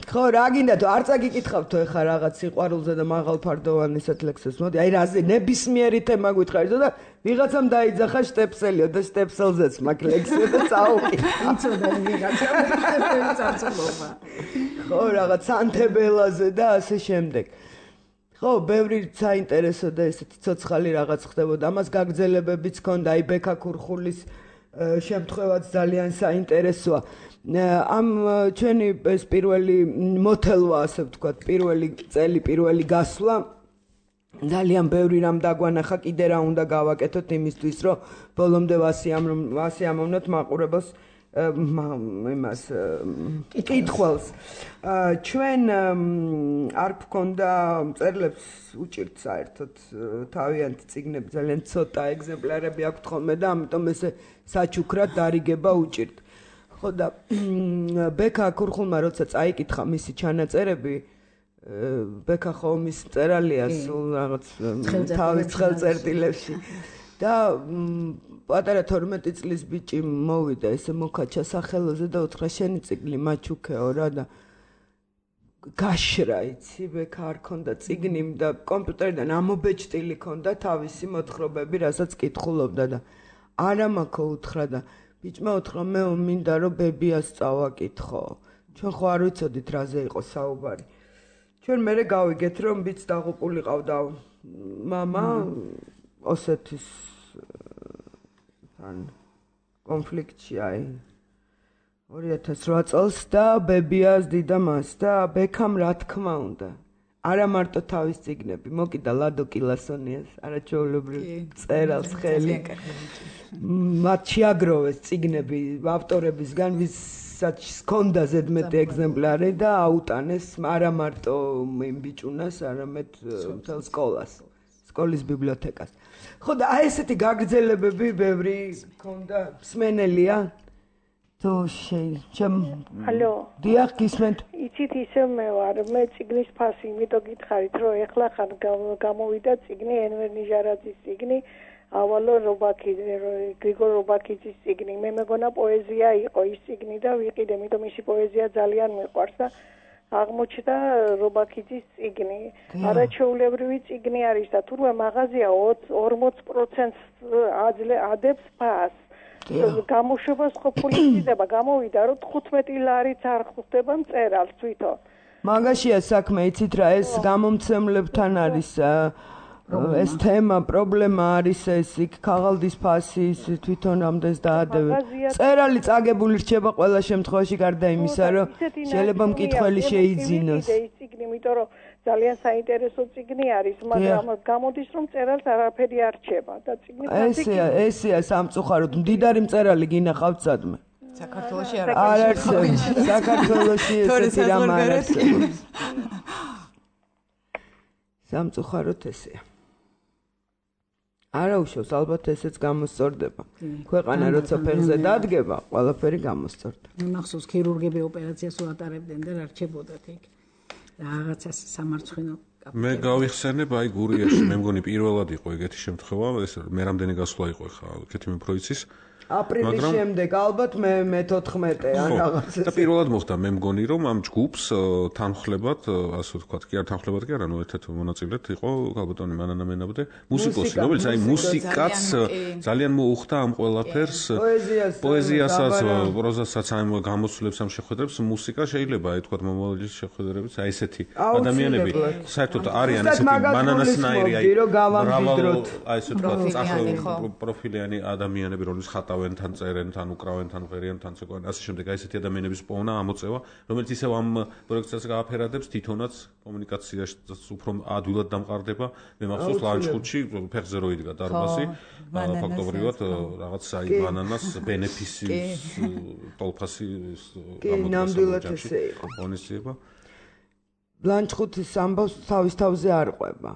ხო რა გინდა თუ არ წაგიკითხავთო ეხა რაღაც სიყვარულზე და მაღალფარდოვან ისეთ ლექსებს მოდი აი რაზე ნებისმიერი თემა გითხარით და ვიღაცამ დაიძახა შტეპსელიო და შტეპსელზეც მაგ ლექსი და წაუკითხა იცოდა ვიღაცამ შტეპსელი წარწმობა ხო რაღაც სანთებელაზე და ასე შემდეგ ხო ბევრი საინტერესო და ესეთი ცოცხალი რაღაც ხდებოდა ამას გაგრძელებებიც ჰქონდა აი ბექა ქურხულის შემთხვევაც ძალიან საინტერესოა ამ ჩვენი ეს პირველი მოთელვა ასე ვთქვათ პირველი წელი პირველი გასვლა ძალიან ბევრი რამ დაგვანახა კიდე რა უნდა გავაკეთოთ იმისთვის რომ ბოლომდე ვასიამოვნოთ მაყურებელს იმას კითხველს ჩვენ არ გქონდა წერილებს უჭირთ საერთოდ თავიანთი წიგნები ძალიან ცოტა ეგზემპლარები აქვთ ხოლმე და ამიტომ ესე საჩუქრად დარიგება უჭირთ ხო და ბექა ქურხულმა როცა წაიკითხა მისი ჩანაწერები ბექა ხო მის წერალია სულ რაღაც თავის ხელწერტილებში და პატარა თორმეტი წლის ბიჭი მოვიდა ესე მოკაჩა სახელოზე და უთხრა შენი წიგნი მაჩუქეო რა და გაშრა იცი ბექ არ ქონდა წიგნიმ და კომპიუტერიდან ამობეჭდილი ქონდა თავისი მოთხრობები რასაც კითხულობდა და არა მაქო უთხრა და ბიჭმა უთხრა მე მინდა რომ ბებიას წავაკითხო ჩვენ ხო არ ვიცოდით რაზე იყო საუბარი ჩვენ მერე გავიგეთ რომ ბიჭს დაღუპული ყავდა მამა ოსეთის თან კონფლიქტში აი ორი ათას რვა წელს და ბებიას დიდა მას და ბექამ რა თქმა უნდა არა მარტო თავის წიგნები მოკიდა ლადო კილასონიას არაჩვეულებრივ წერალს ხელი მათ შეაგროვეს წიგნები ავტორებისგან ვისაც ჰქონდა ზედმეტი ეგზემპლარი და აუტანეს არა მარტო იმ ბიჭუნას არამედ მთელ სკოლას სკოლის ბიბლიოთეკას ხო და აი ესეთი გაგრძელებები ბევრი ჰქონდა მსმენელია თუ შენ ალო დიახ გისმენთ იცით ისე მე ვარ მე წიგნის ფასი იმიტომ გითხარით რომ ეხლა ხან გამოვიდა წიგნი ენვერ ნიჟარაძის წიგნი ავალო რობაქიძე გრიგორ რობაქიძის წიგნი მე მეგონა პოეზია იყო ის წიგნი და ვიყიდე იმიტომ მისი პოეზია ძალიან მიყვარს და აღმოჩნდა რობაქიძის წიგნი არაჩვეულებრივი წიგნი არის და თურმე მაღაზია ორმოც პროცენტს ადებს ფასს გამოშვებას ხო ფული მიზდება გამოვიდა რომ თხუთმეტი ლარიც არ ხვდება მწერალს თვითონ მაგაშია საქმე იცით რა ეს გამომცემლებთან არის ეს თემა პრობლემა არის ეს იქ ქაღალდის ფასი თვითონ რამდენს დაადევენ წერალი წაგებული რჩება ყველა შემთხვევაში გარდა იმისა რომ შეიძლება მკითხველი შეიძინოს ის წიგნი იმიტომ რომ ძალიან საინტერესო წიგნი არის მაგრამ გამოდის რომ წერალს არაფერი არ რჩება და წიგნი ესეა ესეა სამწუხაროდ მდიდარი მწერალი გინახავთ სადმე საქართველოში არ არსებობს საქართველოში ესეთი რამ არ არსებობს სამწუხაროდ ესეა არა უშავს ალბათ ესეც გამოსწორდება ქვეყანა როცა ფეხზე დადგება ყველაფერი გამოსწორდება მახსოვს ქირურგები ოპერაციას უატარებდნენ და რა რჩებოდათ იქ რაღაცა სამარცხვინო მე გავიხსენებ აი გურიაში მე მგონი პირველად იყო ეგეთი შემთხვევა ეს მე რამდენი გასვლა იყო ხა კეთი მეფროიცის აპრილის შემდეგ ალბათ მე მეთოთხმეტე ან რაღაცა და პირველად მოხდა მე მგონი რომ ამ ჯგუფს თანხლებად ასე ვთქვათ კი არ თანხლებად კი არა ნუ ერთად მონაწილედ იყო ალბათონი მანანა მენაბდე მუსიკოსი რომელიც აი მუსიკაც ძალიან მოუხდა ამ ყველაფერს პოეზიასაც პროზასაც ამ გამოსვლებს ამ შეხვედრებს მუსიკა შეიძლება აი ვთქვათ მომავლის შეხვედრებიც აი ესეთი ადამიანები საერთოდ არიან ესეთი მანანასნაირი აი გავამდიდროთ აი ესე ვთქვათ წახელ პროფილიანი ადამიანები რომლის ხატა თან წერენ, თან უკრავენ, თან ღერიან, თან ცეკვენ, ასე შემდეგ. აი ესეთი ადამიანების პოვნა, ამოწევა, რომელიც ისევ ამ პროექტსაც გააფერადებს, თვითონაც კომუნიკაციაში უფრო ადვილად დამყარდება. მე მახსოვს ლანჩხუთში ფეხზე რო იდგა დარბაზი, ფაქტობრივად რაღაც აი ბანანას ბენეფისის ტოლფასი ნამდვილად ესე იყო. ონისება. ლანჩხუთის ამბავს თავის თავზე არ ყვება.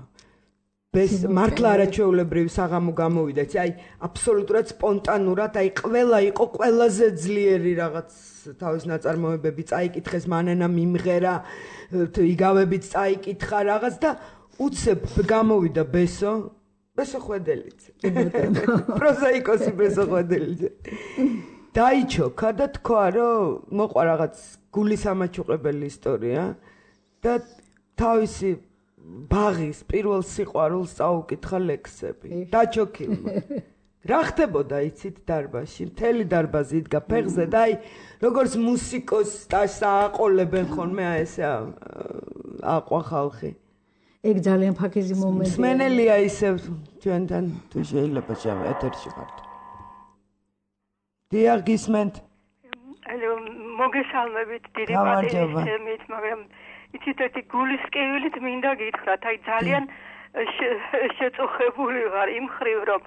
ბეს მართლა არაჩვეულებრივი საღამო გამოვიდა. აი აბსოლუტურად სპონტანურად, აი ყველა იყო ყველაზე ძლიერი რაღაც თავის ნაწარმოებები წაიკითხეს, მანანა მიმღერა, იგავებით წაიკითხა რაღაც და უცებ გამოვიდა ბესო, ბესო ხვედელიძე. პროზაიკოსი ბესო ხვედელიძე. დაიჩოქა და თქვა, რომ მოყვა რაღაც გულის ამაჩუყებელი ისტორია და თავისი ბაღის პირველ სიყვარულს წაუკითხა ლექსები. დაჩოქილმა. რა ხდებოდა იცით დარბაზში? მთელი დარბაზი იდგა ფეხზე და აი როგორც მუსიკოს დაასაყოლებენ ხოლმე აი ესე აყვა ხალხი. ეგ ძალიან ფაქიზი მომენტია. მსმენელია ისევ ჩვენთან თუ შეიძლება შევა ეთერში ხართ. დიახ გისმენთ. ალო მოგესალმებით დიდი პატივისცემით, მაგრამ იცით ერთი გულის კივილით მინდა გითხრათ, აი ძალიან შეწუხებული ვარ იმ ხრივ რომ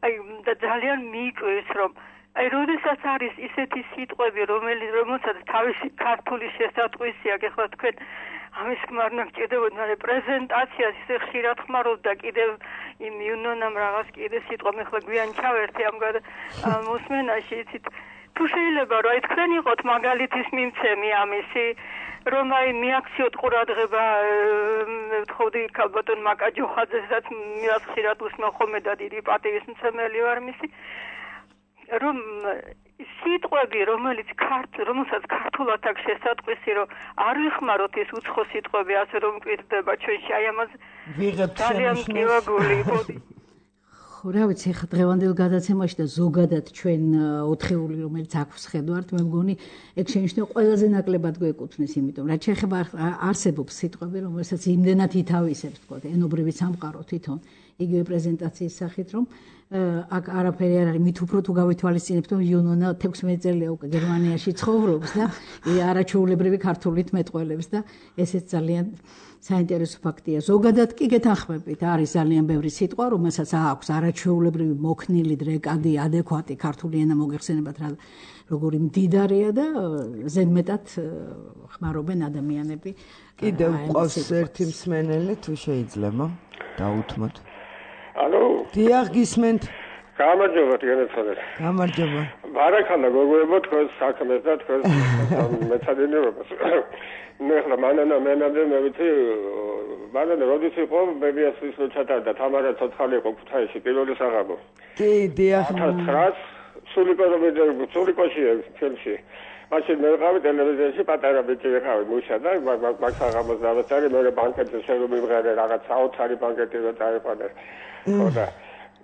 აი და ძალიან მიიკვირს რომ აი როდესაც არის ისეთი სიტყვები რომელიც რომელსაც თავისი ქართული შესატყვისი აქვს ახლა თქვენ ამის გმარნა გჭირდებოდა მაგრამ პრეზენტაციას ისე ხშირად ხმარობდა კიდევ იმ იუნონამ რაღაც კიდე სიტყვა მე ხლა გვიან ჩავერთე ამგვარ მოსმენაში იცით თუ შეიძლება რომ აი თქვენ იყოთ მაგალითის მიმცემი ამისი რომ აი მიაქციოთ ყურადღება ვთხოვდი ქალბატონ მაკაჯოხაძესაც მიას ხშირად უსმენ ხოლმე და დიდი პატივის მცემელი ვარ მისი რომ სიტყვები, რომელიც ქართულ, რომელსაც ქართულად აქვს შესატყვისი, რომ არ ვიხმაროთ ეს უცხო სიტყვები, ასე რომ მკვირდება ჩვენში, აი ამას ძალიან მკივაგული იყო. ხო, რა ვიცი, ხა დღევანდელ გადაცემაში და ზოგადად ჩვენ ოთხეული, რომელიც აქვს ხედავთ, მე მგონი ეგ შენიშნება ყველაზე ნაკლებად გვეკუთვნის, იმიტომ რაც შეეხება არსებობს სიტყვები, რომელსაც იმდენად ითავისებს, თქო, ენობრივი სამყარო თვითონ იგივე პრეზენტაციის სახით, რომ აქ არაფერი არ არის, მით უფრო თუ გავითვალისწინებთ, რომ იუნონა თექვსმეტი წელია უკვე გერმანიაში ცხოვრობს და არაჩვეულებრივი ქართულით მეტყველებს და ესეც ძალიან საინტერესო ფაქტია. ზოგადად კი გეთანხმებით, არის ძალიან ბევრი სიტყვა, რომელსაც აქვს არაჩვეულებრივი მოქნილი დრეკადი, ადეკვატი ქართული ენა მოგეხსენებათ რა როგორი მდიდარია და ზედმეტად ხმარობენ ადამიანები. კიდევ ყავს ერთი მსმენელი თუ შეიძლება დაუთმოთ. ალო? დიახ, გისმენთ. გამარჯობა, გენეცადეთ. გამარჯობა. ბარაკალა გოგოებო თქვენს საქმეს და თქვენს მეცადინეობას. ნუ ახლა მანანა მენამდე მე ვიცი, მანანა როდის იყო ბებიასის ჩატარდა თამარა ცოცხალი იყო ქუთაისში პირველი საღამო. კი, დიახ. ათას ცხრაას სულიკოშია, სულიკოშია ფილმში. მაშინ მე ვიყავი ტელევიზიაში პატარა ბიჭი ვიყავი მუშა და მაგ საღამოს დავწერე მე ბანკეთზე შემომიღერე რაღაც საოცარი ბანკეთი რო წაიყვანე. ხოდა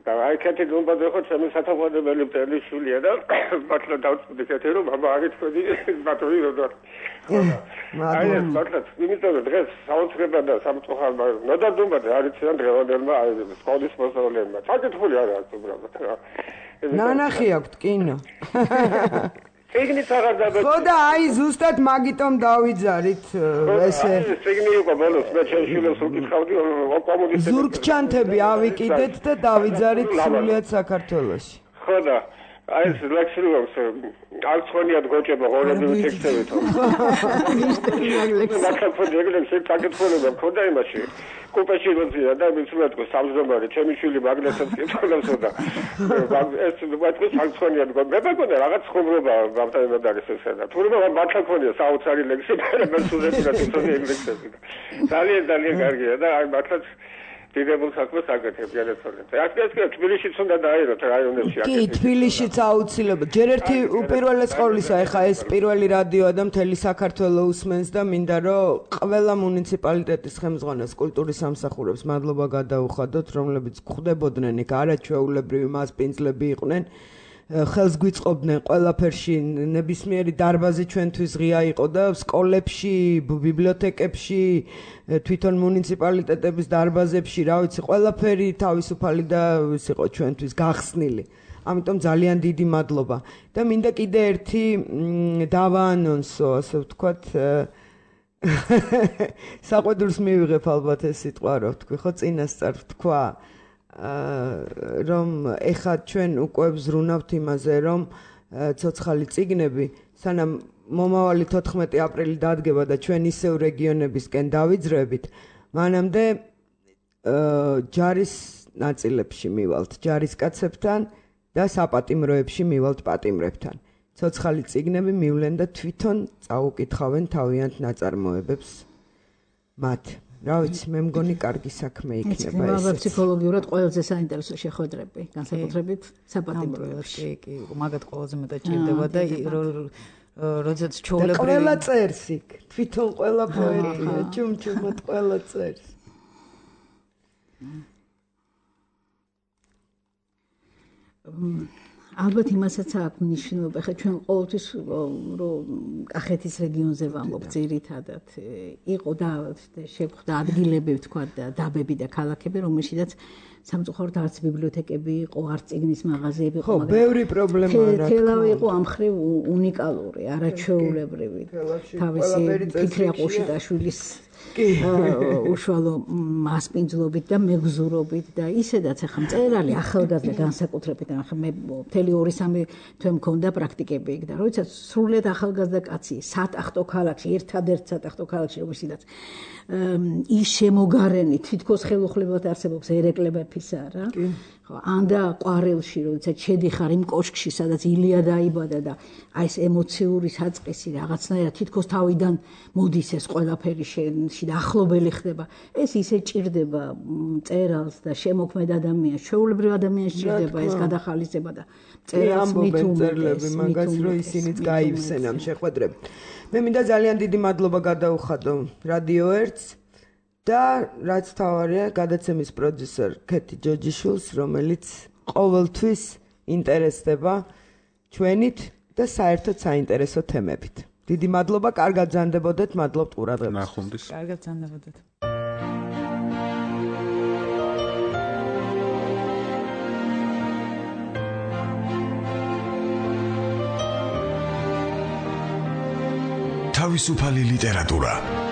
და აი კეთილი უნდა ხო ჩემი სათაყვანებელი მტელი შულია და მართლა დავწვდი კეთილი რომ აბა არის თქვენი ბატონი როდო. აი მართლა იმიტომ რომ დღეს საოცრება და სამწუხაროა ნოდადობა არის ძალიან დღევანდელმა აი სკოლის მოსწავლეებმა. საკითხული არ აქვს უბრალოდ. ნანახი აქვს კინო. ეგნით აღარ დაბა. ხო და აი ზუსტად მაგიტომ დავიძარით ესე. ეგნი იყო ბოლოს მე ჩემშილოს უკითხავდი კომუნისტები. ზურგჩანთები ავიკიდეთ და დავიძარით სრულიად საქართველოში. ხო და აი ეს ლექსილოს არცხვენიად გოჭება ღორები ტექსტებით. ლექსილოს ეგრე საკითხულება მქონდა იმაში. კუპეში როძია და მიცვლად ყო სამზდომარე ჩემი შვილი მაგნესებს კითხულობსო და ეს ვაწყო არცხვენიად გო მე მეგონა რაღაც ხუმრობა ბავშვებად არის ესა და თურმე მართლა ქონია საოცარი ლექსი მე სულები და თვითონ ეგრექსები. ძალიან ძალიან კარგია და აი მართლა დიდებულ საქმეს აკეთებ განაცხადეთ. აქ ეს კი თბილისშიც უნდა დააეროთ რაიონებში აკეთებ. კი, თბილისშიც აუცილებლად. ჯერ ერთი უპირველეს ყოვლისა, ეხა ეს პირველი რადიოა და მთელი საქართველოს უსმენს და მინდა რომ ყველა მუნიციპალიტეტის ხელმძღვანელს კულტურის სამსახურებს მადლობა გადაუხადოთ, რომლებიც გვხვდებოდნენ იქ არაჩვეულებრივი მასპინძლები იყვნენ. ხელს გვიწყობდნენ ყველაფერში, ნებისმიერი დარბაზი ჩვენთვის ღია იყო და სკოლებში, ბიბლიოთეკებში, თვითონ მუნიციპალიტეტების დარბაზებში, რა ვიცი, ყველაფერი თავისუფალი და ის იყო ჩვენთვის გახსნილი. ამიტომ ძალიან დიდი მადლობა. და მინდა კიდე ერთი დავაანონსო, ასე ვთქვათ, საყვედურს მივიღებ ალბათ ეს სიტყვა რო ვთქვი, ხო, წინასწარ ვთქვა. რომ ეხა ჩვენ უკვე ვზრუნავთ იმაზე, რომ ცოცხალი წიგნები, სანამ მომავალი თოთხმეტი აპრილი დადგება და ჩვენ ისევ რეგიონებისკენ დავიძრებით, მანამდე ჯარის ნაწილებში მივალთ ჯარისკაცებთან და საპატიმროებში მივალთ პატიმრებთან. ცოცხალი წიგნები მივლენ და თვითონ წაუკითხავენ თავიანთ ნაწარმოებებს მათ. რა ვიცი, მე მგონი კარგი საქმე იქნება ეს. ეს ფსიქოლოგიურად ყველაზე საინტერესო შეხვედრები, განსაკუთრებით საპატიმროებში. კი, კი, მაგათ ყველაზე მეტად ჭირდება და როდესაც ჩაოლებრივი ყველა წერს იქ, თვითონ ყველა პოეტია, ჩუმჩუმად ყველა წერს. ალბათ იმასაც აქვს მნიშვნელობა, ხა ჩვენ ყოველთვის რომ კახეთის რეგიონზე ვამბობ ძირითადად იყო და შეგვხვდა ადგილები ვთქვა და დაბები და ქალაქები, რომელშიც სამწუხაროდ არც ბიბლიოთეკები იყო, არც წიგნის მაღაზიები იყო. ხო, ბევრი პრობლემა რა. თელავი იყო ამ მხრივ უნიკალური, არაჩვეულებრივი. თავისი ფიქრი აყოშიტაშვილის უშუალო მასპინძლობით და მეგზურობით და ისედაც ახლა მწერალი ახალგაზრდა განსაკუთრებით ახლა მე მთელი ორი სამი თვე მქონდა პრაქტიკები იქ და როდესაც სრულიად ახალგაზრდა კაცი სატახტო ქალაქში ერთადერთ სატახტო ქალაქში რომელშიც ის შემოგარენი თითქოს ხელუხლებად არსებობს ერეკლეფისა რა ხო, ანდა ყვარელში, როდესაც შედიხარ იმ კოშკში, სადაც ილია დაიბადა და აი ეს ემოციური საწყისი რაღაცნაირად თითქოს თავიდან მოდის ეს ყველაფერი შენში და ახლობელი ხდება. ეს ისე ჭირდება მწერალს და შემოქმედ ადამიანს, ჩვეულებრივ ადამიანს ჭირდება ეს გადახალისება და მწერალს მითუმეტეს, მაგას რომ ისინიც გაივსენ ამ შეხვედრებს. მე მინდა ძალიან დიდი მადლობა გადაუხადო რადიო ერთს და რაც თავარია გადაცემის პროდიუსერ ქეთი ჯოჯიშვილს, რომელიც ყოველთვის ინტერესდება ჩვენით და საერთოდ საინტერესო თემებით. დიდი მადლობა, კარგად გრძანდებოდეთ, მადლობთ ყურადღებისთვის. ნახვამდის. კარგად გრძანდებოდეთ. თავისუფალი ლიტერატურა